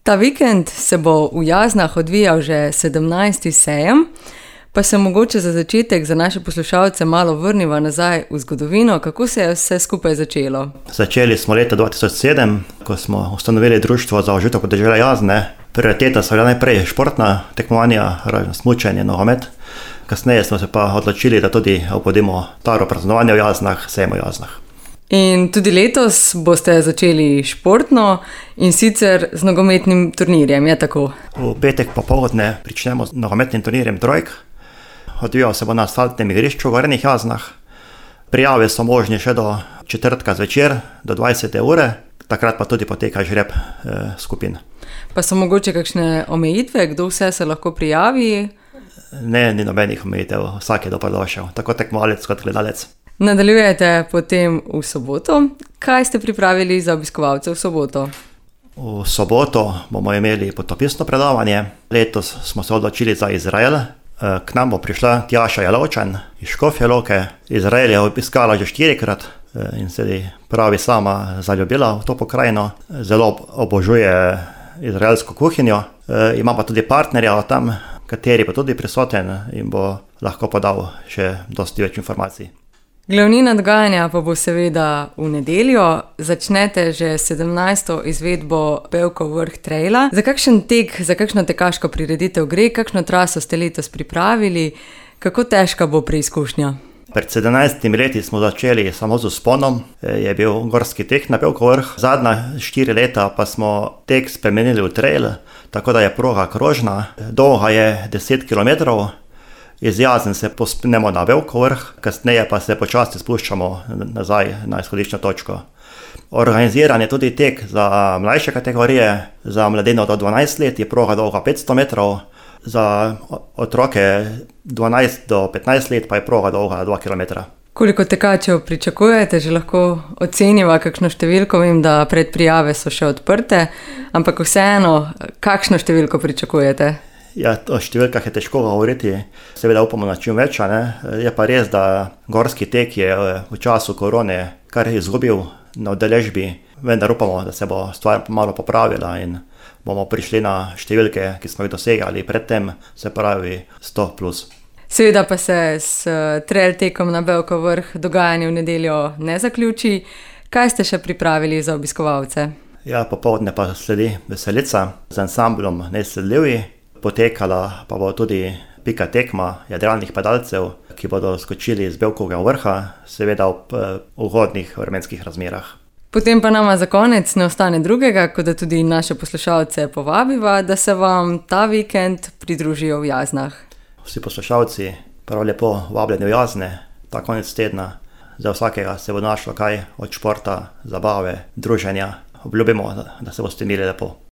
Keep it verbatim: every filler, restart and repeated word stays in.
Ta vikend se bo v Jaznah odvijal že sedemnajsti sejem, pa se mogoče za začetek za naše poslušalce malo vrniva nazaj v zgodovino, kako se je vse skupaj začelo. Začeli smo leta dva tisoč sedem, ko smo ustanovili društvo za oživitev podeželja Jazne. Prioriteta so bila najprej športna tekmovanja, smučanje, nogomet. Kasneje smo se pa odločili, da tudi obudimo staro praznovanje v Jaznah, sejem v Jaznah. In tudi letos boste začeli športno in sicer z nogometnim turnirjem, je tako? V petek popoldne pričnemo z nogometnim turnirjem Trojk. Odvijal se bo na asfaltnem igrišču v Gornjih Jaznah. Prijave so možne še do četrtka zvečer, do dvajsete ure, takrat pa tudi poteka žreb eh, skupin. Pa so mogoče kakšne omejitve, kdo vse se lahko prijavi? Ne, ni nobenih omejitev, vsak je dobrodošel, tako tekmovalec kot gledalec. Nadaljujete potem v soboto. Kaj ste pripravili za obiskovalce v soboto? V soboto bomo imeli potopisno predavanje. Letos smo se odločili za Izrael. K nam bo prišla Tjaša Jelovčan iz Škofje Loke. Izrael je obiskala že štirikrat in se pravi sama zaljubila v to pokrajino. Zelo obožuje izraelsko kuhinjo. Ima pa tudi partnerja tam, kateri bo tudi prisoten in bo lahko podal še dosti več informacij. Glavnina dogajanja pa bo seveda v nedeljo. Začnete že sedemnajsto izvedbo Bevkov vrh traila. Za kakšen tek, za kakšno tekaško prireditev gre, kakšno traso ste letos pripravili, kako težka bo preizkušnja? Pred sedemnajstimi leti smo začeli samo z vzponom, je bil gorski tek na Bevkov vrh. Zadnja štiri leta pa smo tek spremenili v trail, tako da je proga krožna, dolga je deset kilometrov. Iz Jazen se povzpnemo na Bevkov vrh, kasneje pa se počasi spuščamo nazaj na izhodiščno točko. Organiziran je tudi tek za mlajše kategorije, za mladino do dvanajst let je proga dolga petsto metrov, za otroke dvanajst do petnajst let pa je proga dolga dva kilometra. Koliko tekačev pričakujete? Že lahko oceniva kakšno številko, vem, da predprijave so še odprte, ampak vseeno, kakšno številko pričakujete? Ja, o številkah je težko govoriti, seveda upamo na čim več, ne? Je pa res, da gorski tek je v času korone kar izgubil na udeležbi, vendar upamo, da se bo stvar malo popravila in bomo prišli na številke, ki smo jih dosegali predtem, se pravi sto plus. Seveda pa se s trail tekom na Bevkov vrh dogajanje v nedeljo ne zaključi. Kaj ste še pripravili za obiskovalce? Ja, popoldne pa sledi veselica z ansamblom Nesledljivi. Potekala pa bo tudi pika tekma jadralnih padalcev, ki bodo skočili z Bevkovega vrha, seveda ob ugodnih vremenskih razmerah. Potem pa nama za konec ne ostane drugega, kot da tudi naše poslušalce povabiva, da se vam ta vikend pridružijo v Jaznah. Vsi poslušalci prav lepo vabljeni v Jazne, ta konec tedna. Za vsakega se bo našlo kaj od športa, zabave, druženja. Obljubimo, da se boste imeli lepo.